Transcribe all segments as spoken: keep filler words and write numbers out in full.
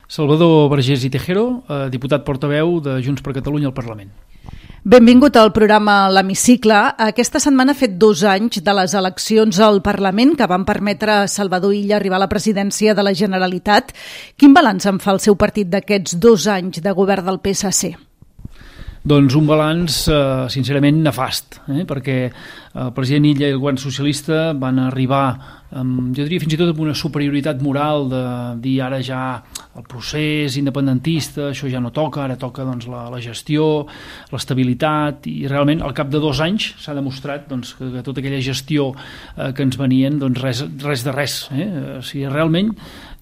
Salvador Vergés i Tejero, eh, diputat portaveu de Junts per Catalunya al Parlament. Benvingut al programa L'Hemicicle. Aquesta setmana ha fet dos anys de les eleccions al Parlament que van permetre a Salvador Illa arribar a la presidència de la Generalitat. Quin balanç en fa el seu partit d'aquests dos anys de govern del P S C? Doncs un balanç, eh, sincerament, nefast, eh? perquè el president Illa i el govern socialista van arribar, amb, jo diria fins i tot amb una superioritat moral de dir ara ja el procés independentista, això ja no toca, ara toca doncs, la, la gestió, l'estabilitat, i realment al cap de dos anys s'ha demostrat doncs, que, que tota aquella gestió eh, que ens venien, doncs res, res de res. Eh? O sigui, realment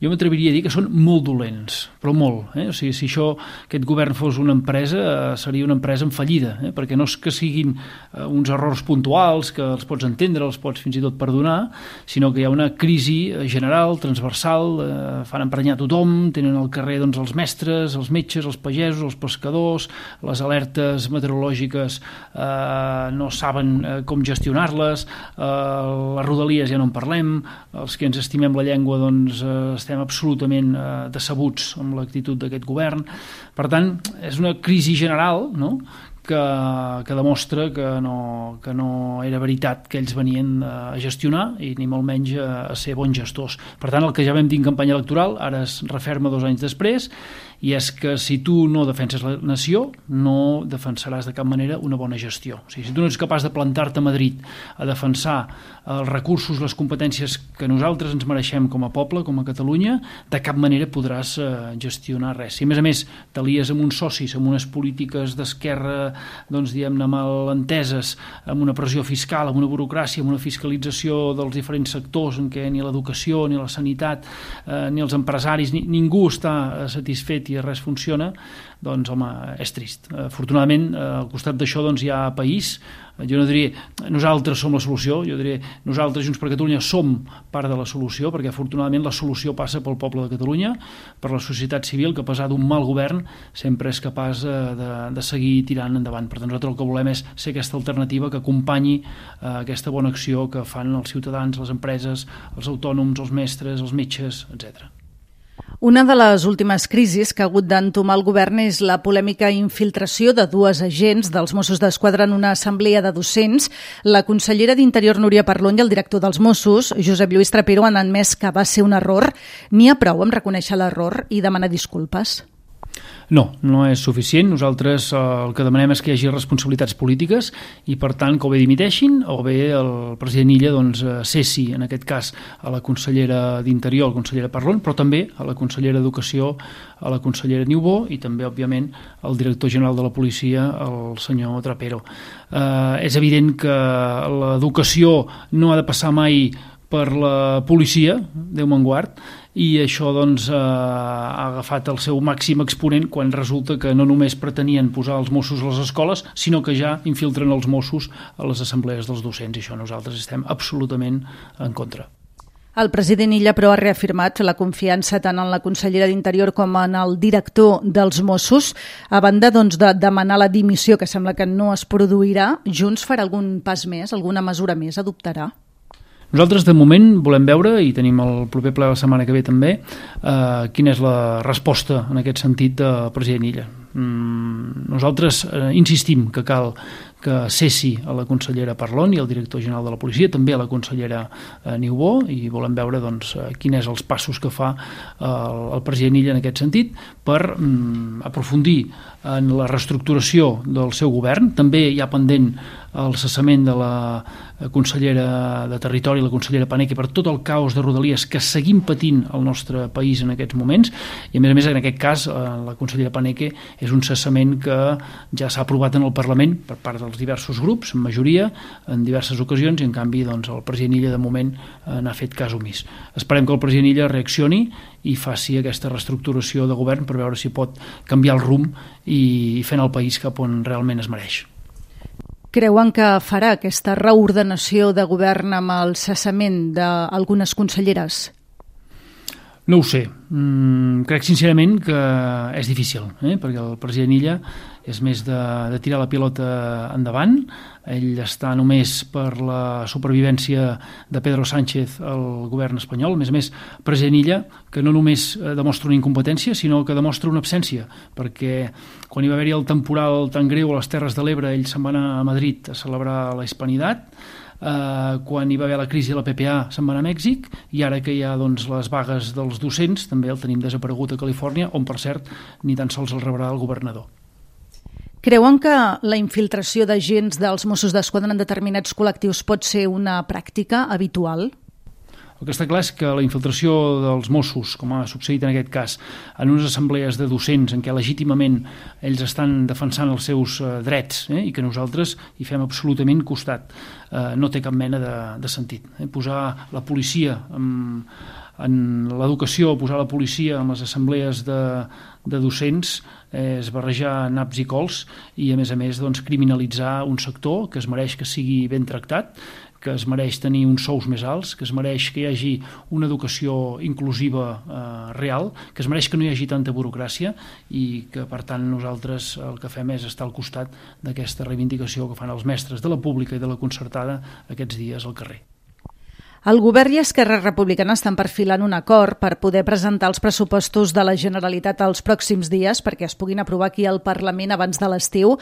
jo m'atreviria a dir que són molt dolents, però molt. Eh? O sigui, si això, aquest govern fos una empresa, eh, seria una empresa en fallida, eh? perquè no és que siguin eh, uns errors puntuals que els pots entendre, els pots fins i tot perdonar, sinó que hi ha una crisi general, transversal, eh, fan emprenyar tothom, tenen al carrer doncs, els mestres, els metges, els pagesos, els pescadors, les alertes meteorològiques eh, no saben eh, com gestionar-les, eh, les rodalies ja no en parlem, els que ens estimem la llengua doncs eh, estem absolutament eh, decebuts amb l'actitud d'aquest govern. Per tant, és una crisi general, no?, que, que demostra que no, que no era veritat que ells venien a gestionar i ni molt menys a, a ser bons gestors. Per tant, el que ja vam dir en campanya electoral ara es referma dos anys després, i és que si tu no defenses la nació, no defensaràs de cap manera una bona gestió. O sigui, si tu no ets capaç de plantar-te a Madrid a defensar els recursos, les competències que nosaltres ens mereixem com a poble, com a Catalunya, de cap manera podràs eh, gestionar res. Si a més a més t'alies amb uns socis, amb unes polítiques d'esquerra, doncs diguem-ne mal enteses, amb una pressió fiscal, amb una burocràcia, amb una fiscalització dels diferents sectors en què ni l'educació, ni la sanitat, eh, ni els empresaris, ni, ningú està satisfet i res funciona, doncs home, és trist. Afortunadament, al costat d'això doncs, hi ha país. Jo no diria nosaltres som la solució, jo diria nosaltres Junts per Catalunya som part de la solució, perquè afortunadament la solució passa pel poble de Catalunya, per la societat civil, que a pesar d'un mal govern sempre és capaç de, de seguir tirant endavant. Per tant, nosaltres el que volem és ser aquesta alternativa que acompanyi eh, aquesta bona acció que fan els ciutadans, les empreses, els autònoms, els mestres, els metges, etcètera. Una de les últimes crisis que ha hagut d'entomar el govern és la polèmica infiltració de dues agents dels Mossos d'Esquadra en una assemblea de docents. La consellera d'Interior, Núria Parlon, i el director dels Mossos, Josep Lluís Trapero, han admès que va ser un error. N'hi ha prou amb reconèixer l'error i demanar disculpes? No, no és suficient. Nosaltres eh, el que demanem és que hi hagi responsabilitats polítiques i, per tant, que o bé dimiteixin o bé el president Illa doncs, cessi, en aquest cas, a la consellera d'Interior, la consellera Parlon, però també a la consellera d'Educació, a la consellera Niubó i també, òbviament, al director general de la policia, el senyor Trapero. Eh, és evident que l'educació no ha de passar mai per la policia, Déu me'n guard, i això doncs, eh, ha agafat el seu màxim exponent quan resulta que no només pretenien posar els Mossos a les escoles, sinó que ja infiltren els Mossos a les assemblees dels docents, i això nosaltres estem absolutament en contra. El president Illa, però, ha reafirmat la confiança tant en la consellera d'Interior com en el director dels Mossos. A banda doncs, de demanar la dimissió, que sembla que no es produirà, Junts farà algun pas més, alguna mesura més adoptarà? Nosaltres, de moment, volem veure, i tenim el proper ple la setmana que ve també, eh, quina és la resposta en aquest sentit del president Illa. Mm, nosaltres eh, insistim que cal que cessi a la consellera Parlon i al director general de la policia, també a la consellera eh, Niubó, i volem veure doncs, quins és els passos que fa eh, el president Illa en aquest sentit per mm, aprofundir en la reestructuració del seu govern. També hi ha pendent el cessament de la consellera de Territori, la consellera Paneque, per tot el caos de Rodalies que seguim patint al nostre país en aquests moments, i a més a més en aquest cas eh, la consellera Paneque és un cessament que ja s'ha aprovat en el Parlament per part dels diversos grups, en majoria, en diverses ocasions, i en canvi doncs, el president Illa de moment eh, n'ha fet cas omís. Esperem que el president Illa reaccioni i faci aquesta reestructuració de govern per veure si pot canviar el rumb i, i fent el país cap on realment es mereix. Creuen que farà aquesta reordenació de govern amb el cessament d'algunes conselleres? No ho sé. Mm, crec sincerament que és difícil, eh? perquè el president Illa és més de, de tirar la pilota endavant. Ell està només per la supervivència de Pedro Sánchez al govern espanyol. A més a més, president Illa, que no només demostra una incompetència, sinó que demostra una absència, perquè quan hi va haver-hi el temporal tan greu a les Terres de l'Ebre, ell se'n va anar a Madrid a celebrar la Hispanitat. Uh, quan hi va haver la crisi de la P P A se'n va anar a Mèxic, i ara que hi ha doncs, les vagues dels docents també el tenim desaparegut a Califòrnia, on per cert ni tan sols el rebrà el governador. Creuen que la infiltració d'agents dels Mossos d'Esquadra en determinats col·lectius pot ser una pràctica habitual? El que està clar és que la infiltració dels Mossos, com ha succeït en aquest cas, en unes assemblees de docents en què legítimament ells estan defensant els seus eh, drets eh, i que nosaltres hi fem absolutament costat, eh, no té cap mena de, de sentit. Eh? Posar la policia en, en l'educació, posar la policia en les assemblees de, de docents és barrejar naps i cols i, a més a més, doncs, criminalitzar un sector que es mereix que sigui ben tractat, que es mereix tenir uns sous més alts, que es mereix que hi hagi una educació inclusiva eh, real, que es mereix que no hi hagi tanta burocràcia i que, per tant, nosaltres el que fem és estar al costat d'aquesta reivindicació que fan els mestres de la pública i de la concertada aquests dies al carrer. El govern i Esquerra Republicana estan perfilant un acord per poder presentar els pressupostos de la Generalitat els pròxims dies perquè es puguin aprovar aquí al Parlament abans de l'estiu.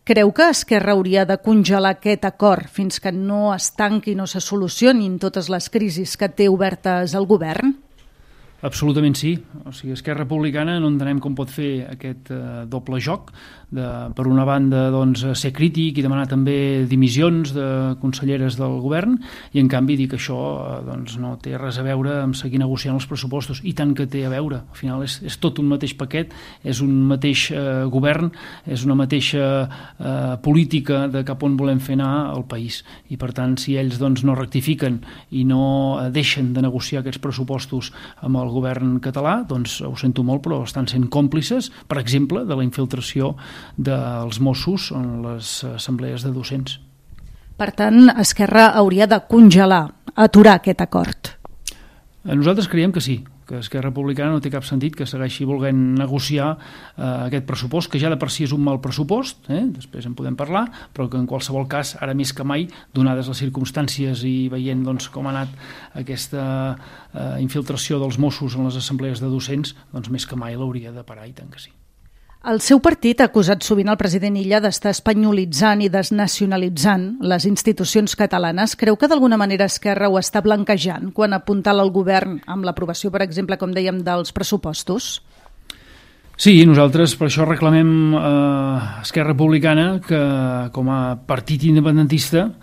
Creu que Esquerra hauria de congelar aquest acord fins que no es tanqui i no se solucionin totes les crisis que té obertes el govern? Absolutament sí. O sigui, Esquerra Republicana no entenem com pot fer aquest eh, doble joc de, per una banda, doncs, ser crític i demanar també dimissions de conselleres del govern i, en canvi, dir que això eh, doncs, no té res a veure amb seguir negociant els pressupostos. I tant que té a veure. Al final és, és tot un mateix paquet, és un mateix eh, govern, és una mateixa eh, política de cap on volem fer anar el país. I, per tant, si ells doncs, no rectifiquen i no eh, deixen de negociar aquests pressupostos amb el govern català, doncs ho sento molt, però estan sent còmplices, per exemple, de la infiltració dels Mossos en les assemblees de docents. Per tant, Esquerra hauria de congelar, aturar aquest acord. Nosaltres creiem que sí, que Esquerra Republicana no té cap sentit que segueixi volent negociar eh, aquest pressupost, que ja de per si és un mal pressupost, eh? Després en podem parlar, però que en qualsevol cas, ara més que mai, donades les circumstàncies i veient doncs, com ha anat aquesta eh, infiltració dels Mossos en les assemblees de docents, doncs més que mai l'hauria de parar, i tant que sí. El seu partit ha acusat sovint el president Illa d'estar espanyolitzant i desnacionalitzant les institucions catalanes. Creu que d'alguna manera Esquerra ho està blanquejant quan apuntala al govern amb l'aprovació, per exemple, com dèiem, dels pressupostos? Sí, nosaltres per això reclamem a eh, Esquerra Republicana que, com a partit independentista,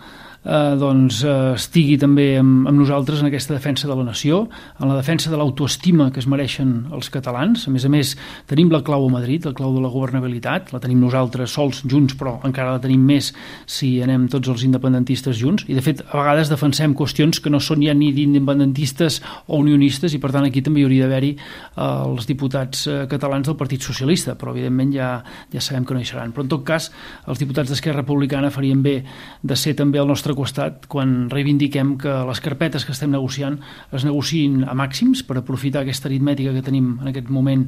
eh, doncs, eh, estigui també amb, amb nosaltres en aquesta defensa de la nació, en la defensa de l'autoestima que es mereixen els catalans. A més a més, tenim la clau a Madrid, la clau de la governabilitat, la tenim nosaltres sols, junts, però encara la tenim més si anem tots els independentistes junts, i de fet a vegades defensem qüestions que no són ja ni d'independentistes o unionistes, i per tant aquí també hi hauria d'haver-hi eh, els diputats eh, catalans del Partit Socialista, però evidentment ja, ja sabem que no hi seran. Però en tot cas, els diputats d'Esquerra Republicana farien bé de ser també al nostre costat quan reivindiquem que les carpetes que estem negociant es negociïn a màxims per aprofitar aquesta aritmètica que tenim en aquest moment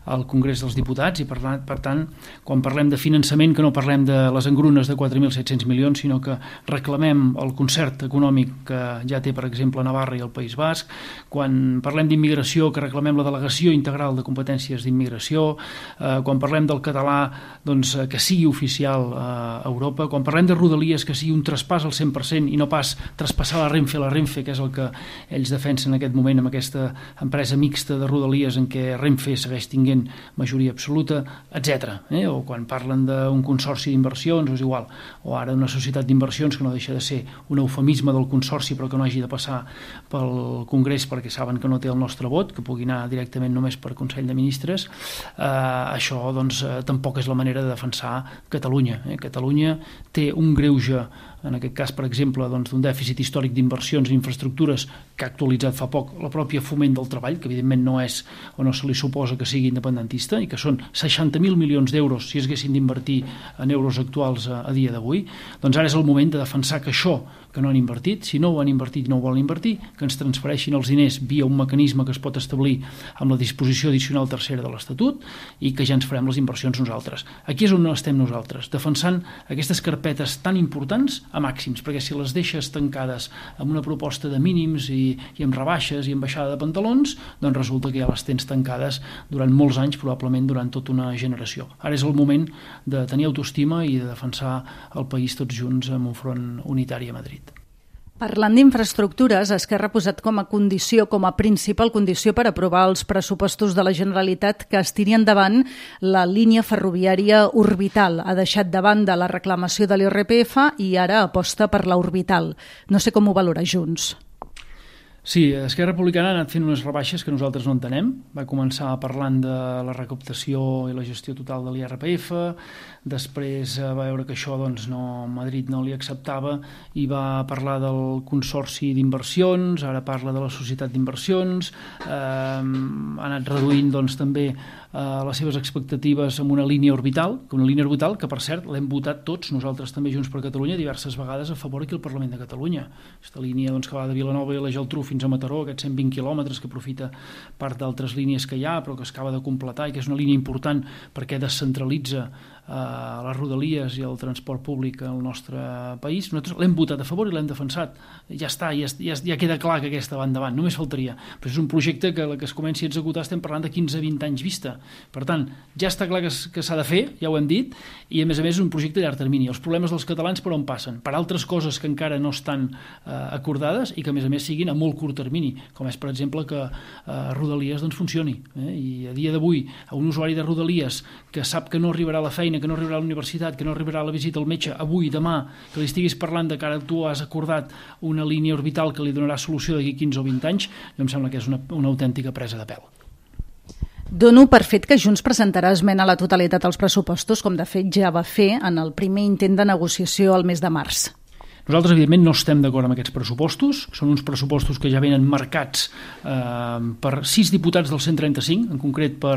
al Congrés dels Diputats, i per, per tant, quan parlem de finançament, que no parlem de les engrunes de quatre mil set-cents milions, sinó que reclamem el concert econòmic que ja té, per exemple, Navarra i el País Basc, quan parlem d'immigració, que reclamem la delegació integral de competències d'immigració, eh, quan parlem del català, doncs, que sigui oficial a Europa, quan parlem de Rodalies, que sigui un traspàs al cent per cent i no pas traspassar la Renfe a la Renfe, que és el que ells defensen en aquest moment amb aquesta empresa mixta de Rodalies en què Renfe segueix tinguent majoria absoluta, etcètera. Eh? O quan parlen d'un consorci d'inversions, és igual, o ara una societat d'inversions que no deixa de ser un eufemisme del consorci però que no hagi de passar pel Congrés perquè saben que no té el nostre vot, que pugui anar directament només per Consell de Ministres. Eh, això doncs, eh, tampoc és la manera de defensar Catalunya. Eh? Catalunya té un greuge, en aquest cas, per exemple, doncs, d'un dèficit històric d'inversions i infraestructures que ha actualitzat fa poc la pròpia Foment del Treball, que evidentment no és o no se li suposa que sigui independentista, i que són seixanta mil milions d'euros si es haguessin d'invertir en euros actuals a, a dia d'avui. Doncs ara és el moment de defensar que això que no han invertit, si no ho han invertit no ho volen invertir, que ens transfereixin els diners via un mecanisme que es pot establir amb la disposició addicional tercera de l'Estatut i que ja ens farem les inversions nosaltres. Aquí és on estem nosaltres, defensant aquestes carpetes tan importants a màxims, perquè si les deixes tancades amb una proposta de mínims i, i amb rebaixes i amb baixada de pantalons, doncs resulta que ja les tens tancades durant molts anys, probablement durant tota una generació. Ara és el moment de tenir autoestima i de defensar el país tots junts amb un front unitari a Madrid. Parlant d'infraestructures, Esquerra ha posat com a condició, com a principal condició per aprovar els pressupostos de la Generalitat que es tiri endavant la línia ferroviària orbital. Ha deixat de banda la reclamació de l'I R P F i ara aposta per la orbital. No sé com ho valora Junts. Sí, Esquerra Republicana ha anat fent unes rebaixes que nosaltres no entenem. Va començar parlant de la recaptació i la gestió total de l'I R P F, després va veure que això doncs, no, Madrid no li acceptava i va parlar del consorci d'inversions, ara parla de la societat d'inversions, eh, ha anat reduint doncs, també eh, les seves expectatives amb una línia orbital, una línia orbital que, per cert, l'hem votat tots, nosaltres també Junts per Catalunya, diverses vegades a favor aquí al Parlament de Catalunya. Aquesta línia doncs, que va de Vilanova i la Geltrú fins a Mataró, aquests cent vint quilòmetres que aprofita part d'altres línies que hi ha, però que es acaba de completar i que és una línia important perquè descentralitza eh, les rodalies i el transport públic al nostre país. Nosaltres l'hem votat a favor i l'hem defensat. Ja està, ja, ja, ja queda clar que aquesta va endavant, només faltaria. Però és un projecte que la que es comenci a executar estem parlant de quinze a vint anys vista. Per tant, ja està clar que, que s'ha de fer, ja ho hem dit, i a més a més és un projecte a llarg termini. Els problemes dels catalans per on passen? Per altres coses que encara no estan eh, acordades i que a més a més siguin a molt curt termini, com és per exemple que eh, Rodalies doncs, funcioni. Eh? I a dia d'avui a un usuari de Rodalies que sap que no arribarà a la feina, que no arribarà a la universitat, que no arribarà a la visita al metge avui, demà, que li estiguis parlant de que ara tu has acordat una línia orbital que li donarà solució d'aquí quinze o vint anys, jo em sembla que és una, una autèntica presa de pèl. Dono per fet que Junts presentarà esmena a la totalitat als pressupostos, com de fet ja va fer en el primer intent de negociació al mes de març. Nosaltres, evidentment, no estem d'acord amb aquests pressupostos. Són uns pressupostos que ja venen marcats eh, per sis diputats del cent trenta-cinc, en concret per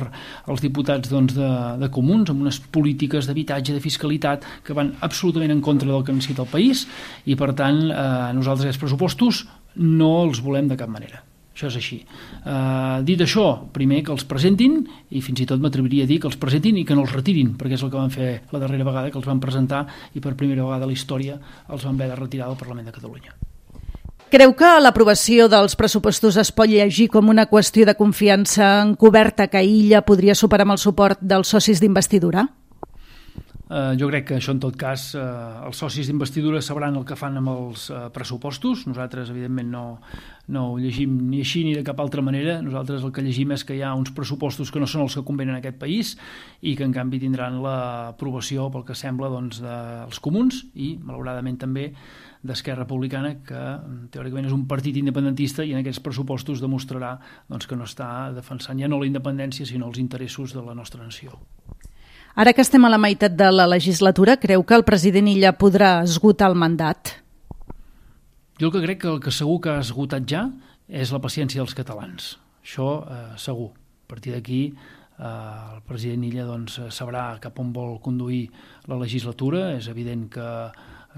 els diputats doncs, de, de Comuns, amb unes polítiques d'habitatge, de fiscalitat, que van absolutament en contra del que necessita el país, i, per tant, eh, nosaltres aquests pressupostos no els volem de cap manera. Això és així. Uh, dit això, primer que els presentin, i fins i tot m'atreviria a dir que els presentin i que no els retirin, perquè és el que van fer la darrera vegada, que els van presentar i per primera vegada a la història els van haver de retirar del Parlament de Catalunya. Creu que l'aprovació dels pressupostos es pot llegir com una qüestió de confiança encoberta que Illa podria superar amb el suport dels socis d'investidura? Uh, jo crec que això en tot cas uh, els socis d'investidura sabran el que fan amb els uh, pressupostos. Nosaltres evidentment no, no ho llegim ni així ni de cap altra manera. Nosaltres el que llegim és que hi ha uns pressupostos que no són els que convenen a aquest país i que en canvi tindran l'aprovació pel que sembla doncs, dels comuns i malauradament també d'Esquerra Republicana, que teòricament és un partit independentista i en aquests pressupostos demostrarà doncs, que no està defensant ja no la independència sinó els interessos de la nostra nació. Ara que estem a la meitat de la legislatura, creu que el president Illa podrà esgotar el mandat? Jo el que crec que el que segur que ha esgotat ja és la paciència dels catalans. Això eh, segur. A partir d'aquí eh, el president Illa doncs, sabrà cap on vol conduir la legislatura. És evident que,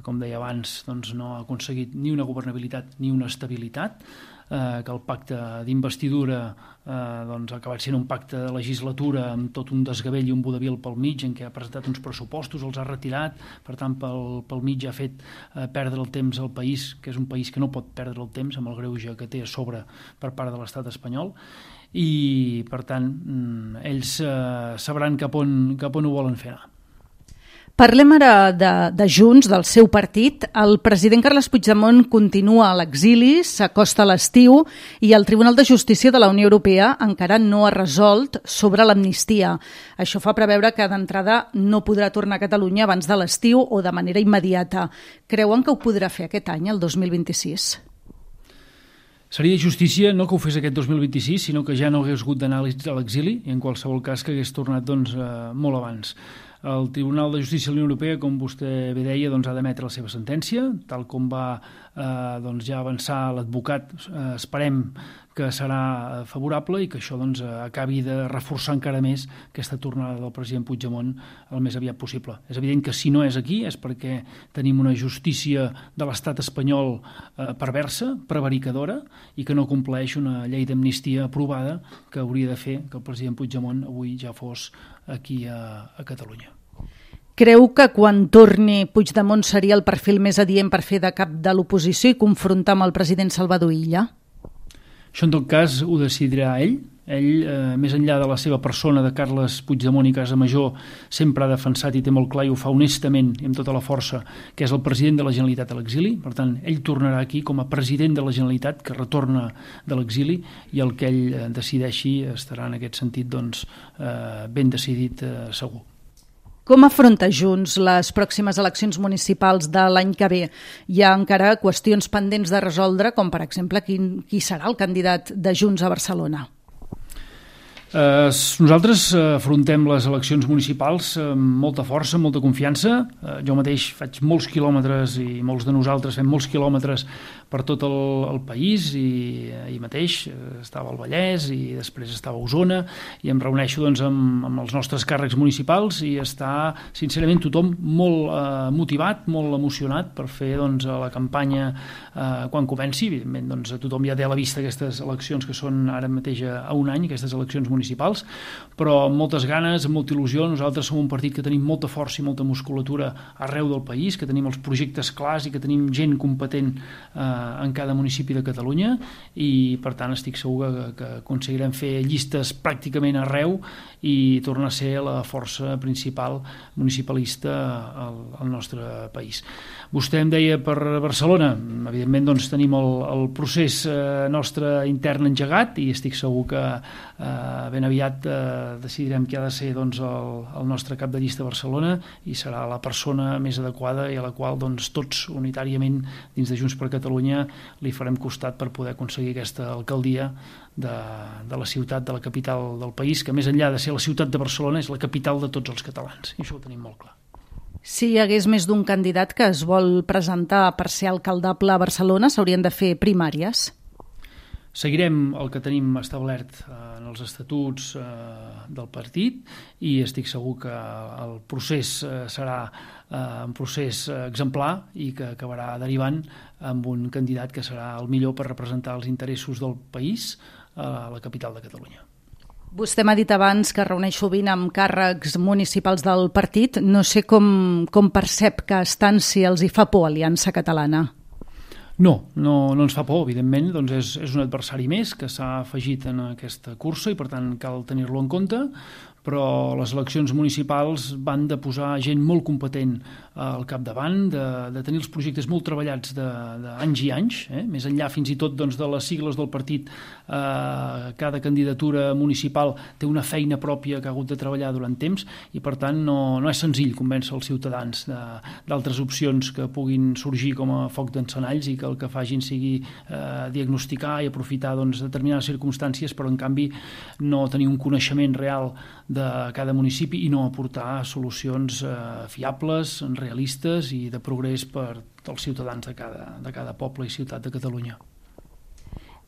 com deia abans, doncs, no ha aconseguit ni una governabilitat ni una estabilitat, eh, que el pacte d'investidura eh, doncs, ha acabat sent un pacte de legislatura amb tot un desgavell i un vodevil pel mig en què ha presentat uns pressupostos, els ha retirat, per tant pel, pel mig ha fet eh, perdre el temps al país, que és un país que no pot perdre el temps amb el greuge que té a sobre per part de l'estat espanyol, i per tant ells eh, sabran cap on, cap on ho volen fer anar. Parlem ara de, de Junts, del seu partit. El president Carles Puigdemont continua a l'exili, s'acosta a l'estiu i el Tribunal de Justícia de la Unió Europea encara no ha resolt sobre l'amnistia. Això fa preveure que d'entrada no podrà tornar a Catalunya abans de l'estiu o de manera immediata. Creuen que ho podrà fer aquest any, el dos mil vint-i-sis? Seria de justícia no que ho fes aquest dos mil vint-i-sis, sinó que ja no hagués hagut d'anar a l'exili i en qualsevol cas que hagués tornat doncs, eh, molt abans. El Tribunal de Justícia de la Unió Europea, com vostè bé deia, doncs, ha d'emetre la seva sentència, tal com va eh, doncs, ja avançar l'advocat. Eh, esperem que serà favorable i que això doncs, acabi de reforçar encara més aquesta tornada del president Puigdemont el més aviat possible. És evident que si no és aquí és perquè tenim una justícia de l'estat espanyol eh, perversa, prevaricadora, i que no compleix una llei d'amnistia aprovada que hauria de fer que el president Puigdemont avui ja fos aquí a, a Catalunya. Creu que quan torni Puigdemont seria el perfil més adient per fer de cap de l'oposició i confrontar amb el president Salvador Illa? Això, en tot cas, ho decidirà ell. Ell, eh, més enllà de la seva persona, de Carles Puigdemont i Casamajor, sempre ha defensat i té molt clar i ho fa honestament i amb tota la força, que és el president de la Generalitat a l'exili. Per tant, ell tornarà aquí com a president de la Generalitat, que retorna de l'exili, i el que ell decideixi estarà en aquest sentit doncs, eh, ben decidit, eh, segur. Com afronta Junts les pròximes eleccions municipals de l'any que ve? Hi ha encara qüestions pendents de resoldre, com per exemple quin, qui serà el candidat de Junts a Barcelona. Eh, nosaltres afrontem les eleccions municipals amb molta força, amb molta confiança. Eh, jo mateix faig molts quilòmetres i molts de nosaltres fem molts quilòmetres per tot el, el país i ahir mateix estava al Vallès i després estava a Osona i em reuneixo doncs, amb, amb els nostres càrrecs municipals i està sincerament tothom molt eh, motivat, molt emocionat per fer doncs, la campanya eh, quan comenci. Evidentment doncs, tothom ja té a la vista aquestes eleccions que són ara mateix a, a un any, aquestes eleccions municipals, però amb moltes ganes, amb molta il·lusió. Nosaltres som un partit que tenim molta força i molta musculatura arreu del país, que tenim els projectes clars i que tenim gent competent eh, en cada municipi de Catalunya i per tant estic segur que, que aconseguirem fer llistes pràcticament arreu i tornar a ser la força principal municipalista al, al nostre país. Vostè em deia per Barcelona, evidentment doncs, tenim el, el procés eh, nostre intern engegat i estic segur que eh, ben aviat eh, decidirem qui ha de ser doncs, el, el nostre cap de llista a Barcelona i serà la persona més adequada i a la qual doncs, tots unitàriament dins de Junts per Catalunya li farem costat per poder aconseguir aquesta alcaldia de, de la ciutat, de la capital del país, que més enllà de ser la ciutat de Barcelona és la capital de tots els catalans i això ho tenim molt clar. Si hi hagués més d'un candidat que es vol presentar per ser alcaldable a Barcelona, s'haurien de fer primàries? Seguirem el que tenim establert en els estatuts del partit i estic segur que el procés serà un procés exemplar i que acabarà derivant amb un candidat que serà el millor per representar els interessos del país a la capital de Catalunya. Vostè m'ha dit abans que reuneix sovint amb càrrecs municipals del partit. No sé com, com percep que estan, si els hi fa por Aliança Catalana. No, no, no ens fa por, evidentment, doncs és, és un adversari més que s'ha afegit en aquesta cursa i per tant cal tenir-lo en compte, però les eleccions municipals van de posar gent molt competent al capdavant, de, de tenir els projectes molt treballats d'anys i anys, eh? Més enllà fins i tot doncs, de les sigles del partit, eh, cada candidatura municipal té una feina pròpia que ha hagut de treballar durant temps i per tant no, no és senzill convèncer els ciutadans d'altres opcions que puguin sorgir com a foc d'encenalls i que el que facin sigui eh, diagnosticar i aprofitar doncs, determinades circumstàncies, però en canvi no tenir un coneixement real de cada municipi i no aportar solucions eh, fiables, realistes i de progrés per als ciutadans de cada, de cada poble i ciutat de Catalunya.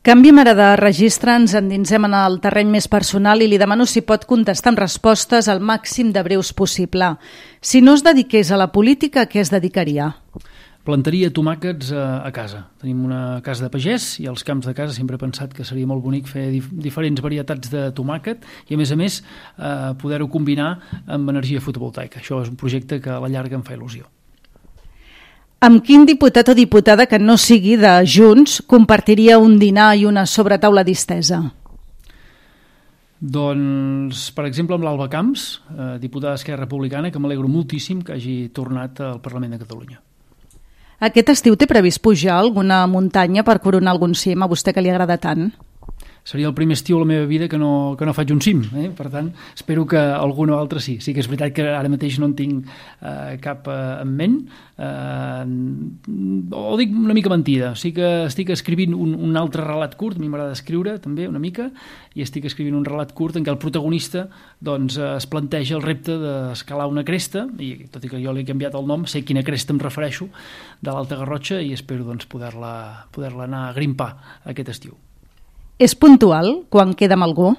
Canviem ara de registre, ens endinsem en el terreny més personal i li demano si pot contestar amb respostes al màxim de breus possible. Si no es dediqués a la política, a què es dedicaria? Plantaria tomàquets a, a casa. Tenim una casa de pagès i als camps de casa sempre he pensat que seria molt bonic fer dif diferents varietats de tomàquet i a més a més eh, poder-ho combinar amb energia fotovoltaica. Això és un projecte que a la llarga em fa il·lusió. Amb quin diputat o diputada que no sigui de Junts compartiria un dinar i una sobretaula distesa? Doncs, per exemple, amb l'Alba Camps, eh, diputada d'Esquerra Republicana, que m'alegro moltíssim que hagi tornat al Parlament de Catalunya. Aquest estiu té previst pujar alguna muntanya per coronar algun cim, a vostè que li agrada tant? seria el primer estiu a la meva vida que no, que no faig un cim, eh? Per tant, espero que algun o altre sí. Sí que és veritat que ara mateix no en tinc eh, cap eh, en ment, eh, o dic una mica mentida, sí que estic escrivint un, un altre relat curt, a mi m'agrada escriure també una mica, i estic escrivint un relat curt en què el protagonista doncs, es planteja el repte d'escalar una cresta, i tot i que jo li he canviat el nom, sé quina cresta em refereixo, de l'Alta Garrotxa, i espero doncs, poder-la poder-la anar a grimpar aquest estiu. És puntual quan queda amb algú?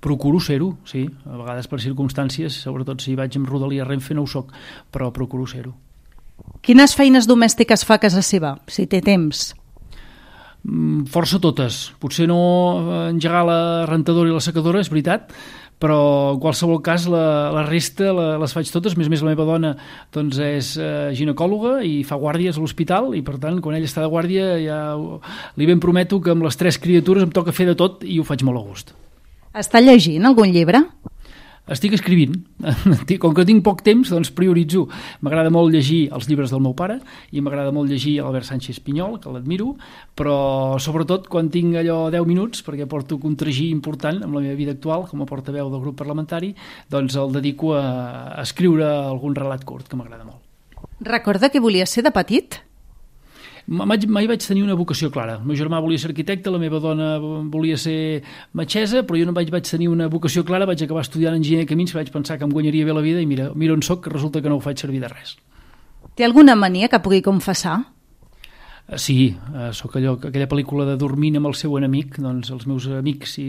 Procuro ser-ho, sí. A vegades per circumstàncies, sobretot si vaig amb Rodalia Renfe no ho soc, però procuro ser-ho. Quines feines domèstiques fa a casa seva, si té temps? Força totes. Potser no engegar la rentadora i la secadora, és veritat, però en qualsevol cas la, la resta la, les faig totes. A més a més, la meva dona doncs, és eh, ginecòloga i fa guàrdies a l'hospital, i per tant, quan ella està de guàrdia ja li ben prometo que amb les tres criatures em toca fer de tot i ho faig molt a gust. Està llegint algun llibre? Estic escrivint. Com que tinc poc temps, doncs prioritzo. M'agrada molt llegir els llibres del meu pare i m'agrada molt llegir Albert Sánchez Pinyol, que l'admiro, però sobretot quan tinc allò deu minuts, perquè porto un tragí important amb la meva vida actual com a portaveu del grup parlamentari, doncs el dedico a, a escriure algun relat curt, que m'agrada molt. Recorda què volia ser de petit? Mai, mai vaig tenir una vocació clara. El meu germà volia ser arquitecte, la meva dona volia ser metgessa, però jo no vaig, vaig tenir una vocació clara, vaig acabar estudiant enginyer de camins, que vaig pensar que em guanyaria bé la vida, i mira, mira on soc, que resulta que no ho faig servir de res. Té alguna mania que pugui confessar? Sí, sóc allò, aquella pel·lícula de Dormint amb el seu enemic, doncs els meus amics i,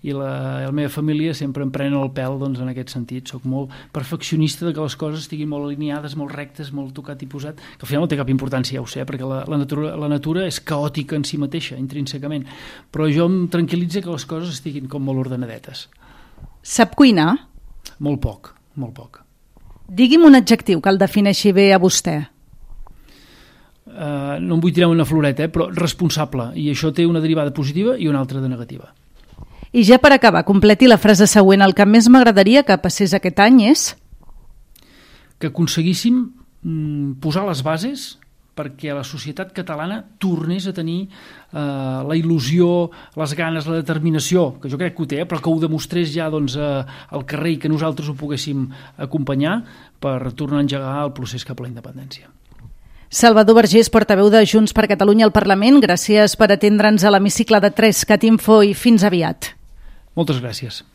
i, la, i la meva família sempre em prenen el pèl doncs, en aquest sentit. Soc molt perfeccionista de que les coses estiguin molt alineades, molt rectes, molt tocat i posat, que al final no té cap importància, ja ho sé, perquè la, la, natura, la natura és caòtica en si mateixa, intrínsecament, però jo em tranquil·litza que les coses estiguin com molt ordenadetes. Sap cuinar? Molt poc, molt poc. Digui'm un adjectiu que el defineixi bé a vostè. Uh, no em vull tirar una floreta, eh, però responsable, i això té una derivada positiva i una altra de negativa. I ja per acabar, completi la frase següent. El que més m'agradaria que passés aquest any és que aconseguíssim mm, posar les bases perquè la societat catalana tornés a tenir eh, la il·lusió, les ganes, la determinació, que jo crec que ho té, eh, però que ho demostrés ja doncs, eh, al carrer i que nosaltres ho poguéssim acompanyar per tornar a engegar el procés cap a la independència. Salvador Vergés, portaveu de Junts per Catalunya al Parlament, gràcies per atendre'ns a l'hemicicle de tres cat info i fins aviat. Moltes gràcies.